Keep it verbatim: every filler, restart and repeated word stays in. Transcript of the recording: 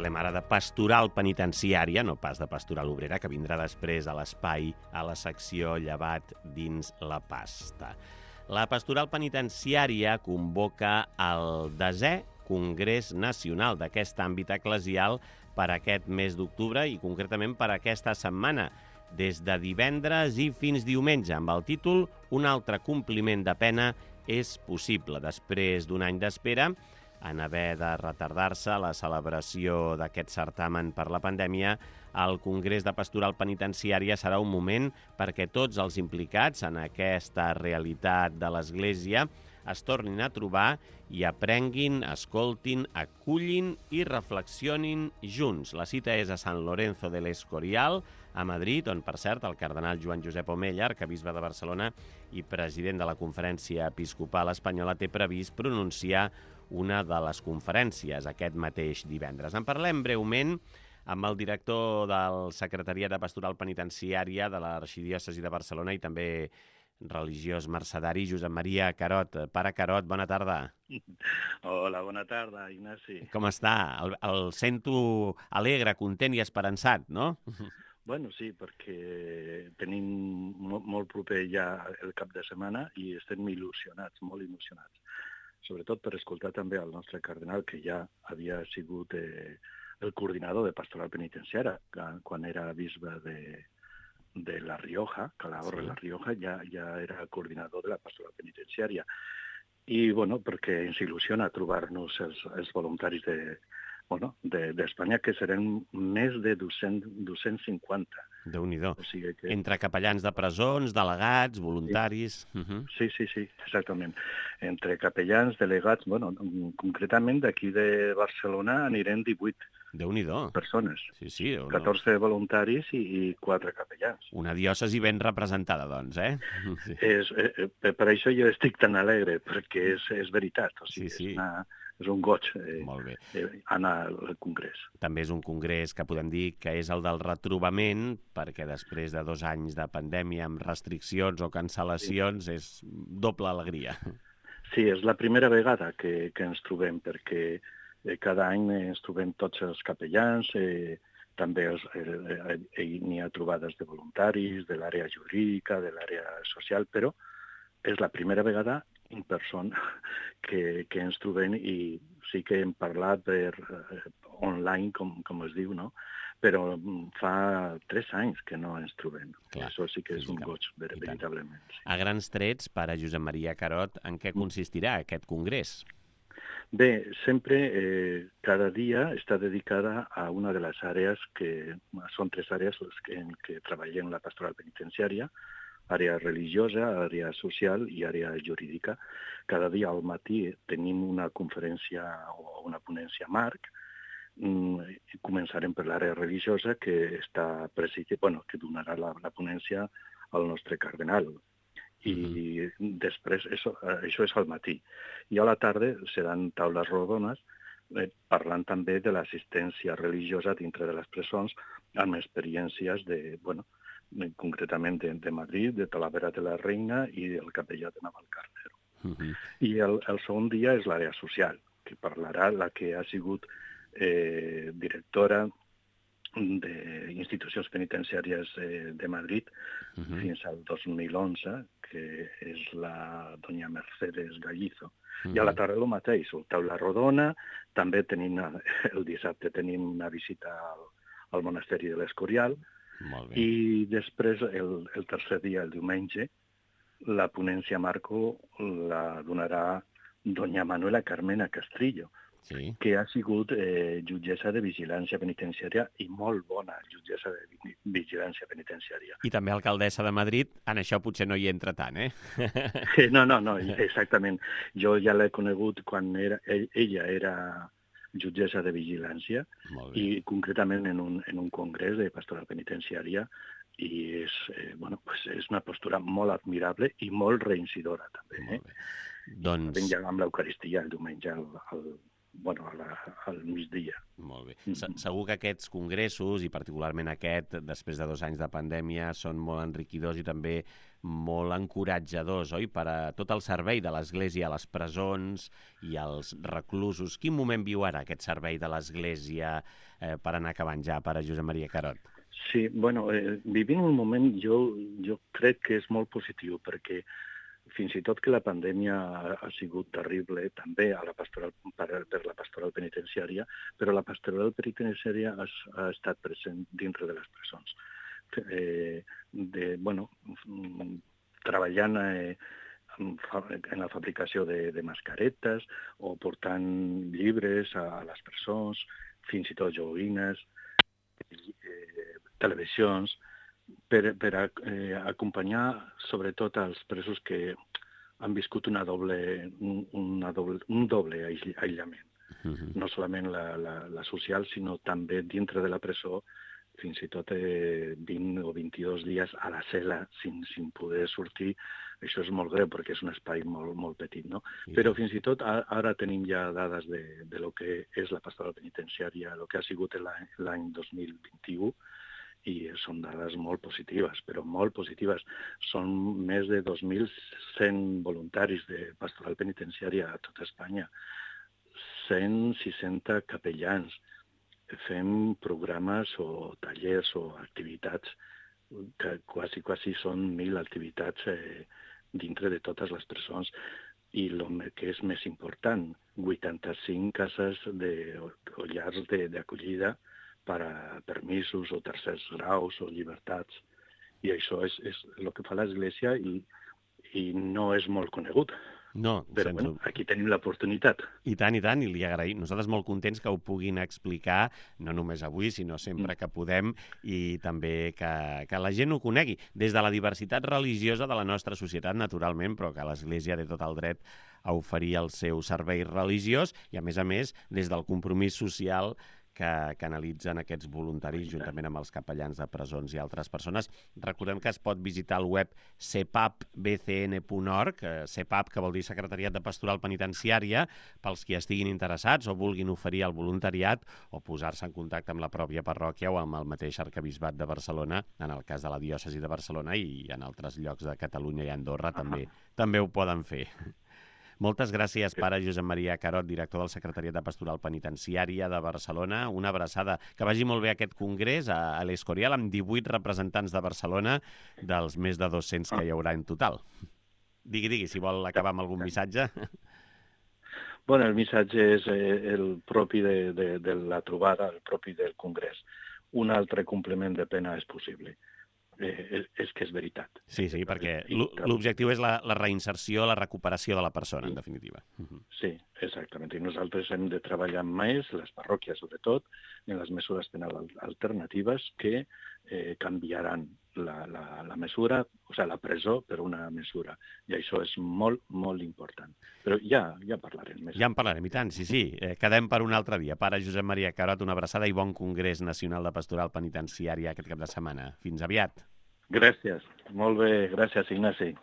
Parlem ara de pastoral penitenciària, no pas de pastoral obrera, que vindrà després a l'espai, a la secció Llevat dins la pasta. La pastoral penitenciària convoca el desè Congrés Nacional d'aquest àmbit eclesial per aquest mes d'octubre i concretament per aquesta setmana, des de divendres i fins diumenge, amb el títol Un altre compliment de pena és possible. Després d'un any d'espera, en haver de retardar-se la celebració d'aquest certamen per la pandèmia, el Congrés de Pastoral Penitenciària serà un moment perquè tots els implicats en aquesta realitat de l'Església es tornin a trobar i aprenguin, escoltin, acullin i reflexionin junts. La cita és a Sant Lorenzo del Escorial, a Madrid, on, per cert, el cardenal Joan Josep Omella, arquebisbe de Barcelona i president de la Conferència Episcopal Espanyola, té previst pronunciar una de les conferències aquest mateix divendres. En parlem breument amb el director del Secretariat de Pastoral Penitenciària de l'Arxidiòcesi de Barcelona i també religiós mercedari, Josep Maria Carot. Pare Carot, bona tarda. Hola, bona tarda, Ignasi. Com està? El, el sento alegre, content i esperançat, no? Bueno, sí, perquè tenim molt, molt proper ja el cap de setmana i estem il·lusionats, molt il·lusionats. Sobretot per escoltar també el nostre cardenal, que ja havia sigut eh, el coordinador de pastoral penitenciària quan era bisbe de, de La Rioja, Calahorra, sí. La Rioja, ja, ja era coordinador de la pastoral penitenciària. I, bueno, perquè ens il·lusiona trobar-nos els, els voluntaris de, bueno, de, d'Espanya, que seran més de dos-cents cinquanta. Déu-n'hi-do. O sigui que... Entre capellans de presons, delegats, voluntaris... Sí. Uh-huh. sí, sí, sí, exactament. Entre capellans, delegats, bueno, concretament d'aquí de Barcelona anirem divuit Déu-n'hi-do. persones. Sí, sí. No. catorze voluntaris i, i quatre capellans. Una diòcesi ben representada, doncs, eh? Sí. És, eh, per això jo estic tan alegre, perquè és, és veritat. O sigui, sí, sí. És, una, és un goig eh, Molt bé. eh, anar al congrés. També és un congrés que podem dir que és el del retrobament, perquè després de dos anys de pandèmia amb restriccions o cancel·lacions sí. és doble alegria. Sí, és la primera vegada que, que ens trobem, perquè eh, cada any ens trobem tots els capellans, eh, també els, eh, eh, n'hi ha trobades de voluntaris, de l'àrea jurídica, de l'àrea social, però és la primera vegada en persona que, que ens trobem i sí que hem parlat per eh, online, com, com es diu, no? Però fa tres anys que no ens trobem. Clar, això sí que és un goig, veritablement. Sí. A grans trets, pare Josep Maria Carot, en què consistirà aquest congrés? Bé, sempre, eh, cada dia està dedicada a una de les àrees que són tres àrees que, en què treballem la pastoral penitenciària, àrea religiosa, àrea social i àrea jurídica. Cada dia al matí tenim una conferència o una ponència marc. Mm, començarem per l'àrea religiosa, que està presidida, bueno, que donarà la, la ponència al nostre cardenal. I uh-huh. després, això, això és al matí. I a la tarda seran taules rodones, eh, parlant també de l'assistència religiosa dintre de les presons, amb experiències de, bueno, concretament de, de Madrid, de Talavera de la Reina i del capellà de Navalcarnero. Uh-huh. I el, el segon dia és l'àrea social, que parlarà la que ha sigut eh, directora d'institucions penitenciàries eh, de Madrid uh-huh. fins al dos mil onze, que és la doña Mercedes Gallizo. Uh-huh. I a la tarda el mateix, el taula rodona, també tenim, el dissabte tenim una visita al, al monasteri de l'Escorial, i després, el, el tercer dia, el diumenge, la ponència Marco la donarà doña Manuela Carmena Castrillo, sí. que ha sigut eh, jutgessa de vigilància penitenciària i molt bona jutgessa de vigilància penitenciària. I també alcaldessa de Madrid, en això potser no hi entra tant, eh? no, no, no, exactament. Jo ja l'he conegut quan era, ella era jutgessa de vigilància i concretament en un, en un congrés de pastoral penitenciària i és, eh, bueno, pues és una postura molt admirable i molt reincidora també. Eh? Doncs... Vam amb l'Eucaristia el diumenge al, al, bueno, a la, al migdia. Molt bé. Se- Segur que aquests congressos, i particularment aquest, després de dos anys de pandèmia, són molt enriquidors i també molt encoratjadors, oi?, per a tot el servei de l'Església a les presons i als reclusos. Quin moment viu ara aquest servei de l'Església eh, per anar acabant ja, pare Josep Maria Carot? Sí, bueno, eh, vivim un moment, jo, jo crec que és molt positiu, perquè fins i tot que la pandèmia ha, ha sigut terrible també a la pastoral, per, per la pastoral penitenciària, però la pastoral penitenciària ha, ha estat present dintre de les presons. Eh, de, bueno, treballant eh, en la fabricació de, de mascaretes o portant llibres a, a les presons, fins i tot joguines, eh, televisions, per, per a, eh, acompanyar sobretot als presos que han viscut una doble, una doble, un doble aïllament. Uh-huh. No solament la, la, la social, sinó també dintre de la presó, fins i tot eh, vint o vint-i-dos dies a la cel·la sin, sin poder sortir. Això és molt greu perquè és un espai molt, molt petit, no? Sí. Però fins i tot ara tenim ja dades de, de lo que és la pastoral penitenciària, el que ha sigut l'any dos mil vint-i-u, i són dades molt positives, però molt positives. Són més de dos mil cent voluntaris de pastoral penitenciària a tota Espanya, cent seixanta capellans. Fem programes o tallers o activitats que quasi, quasi són mil activitats eh, dintre de totes les presons. I el que és més important, vuitanta-cinc cases de, o llars d'acollida per a permisos o tercers graus o llibertats. I això és, és el que fa l'Església i, i no és molt conegut. No, però bueno, aquí tenim l'oportunitat. I tant, i tant, i li agraïm. Nosaltres molt contents que ho puguin explicar, no només avui, sinó sempre que podem, i també que, que la gent ho conegui. Des de la diversitat religiosa de la nostra societat, naturalment, però que l'Església té tot el dret a oferir el seu servei religiós, i a més a més, des del compromís social que canalitzen aquests voluntaris juntament amb els capellans de presons i altres persones. Recordem que es pot visitar el web c p a p b c n punt org, C P A P, que vol dir Secretariat de Pastoral Penitenciària, pels qui estiguin interessats o vulguin oferir el voluntariat o posar-se en contacte amb la pròpia parròquia o amb el mateix arquebisbat de Barcelona, en el cas de la diòcesi de Barcelona, i en altres llocs de Catalunya i Andorra també, també ho poden fer. Moltes gràcies, pare Josep Maria Carot, director del Secretariat de Pastoral Penitenciària de Barcelona. Una abraçada. Que vagi molt bé aquest congrés a l'Escorial, amb divuit representants de Barcelona, dels més de dos-cents que hi haurà en total. Digui, digui, si vol acabar amb algun missatge. Bueno, el missatge és el propi de, de, de la trobada, el propi del congrés. Un altre complement de pena és possible. Eh, és que és veritat. Sí, sí, perquè l'objectiu és la, la reinserció, la recuperació de la persona, en definitiva. Sí, exactament. I nosaltres hem de treballar més, les parròquies sobretot, en les mesures penals alternatives que eh, canviaran la, la, la mesura, o sigui, la presó per una mesura. I això és molt, molt important. Però ja, ja parlarem més. Ja en parlarem, i tant, sí, sí. Eh, quedem per un altre dia. Pare Josep Maria Carot, una abraçada i bon Congrés Nacional de Pastoral Penitenciària aquest cap de setmana. Fins aviat. Gràcies. Molt bé. Gràcies, Ignasi.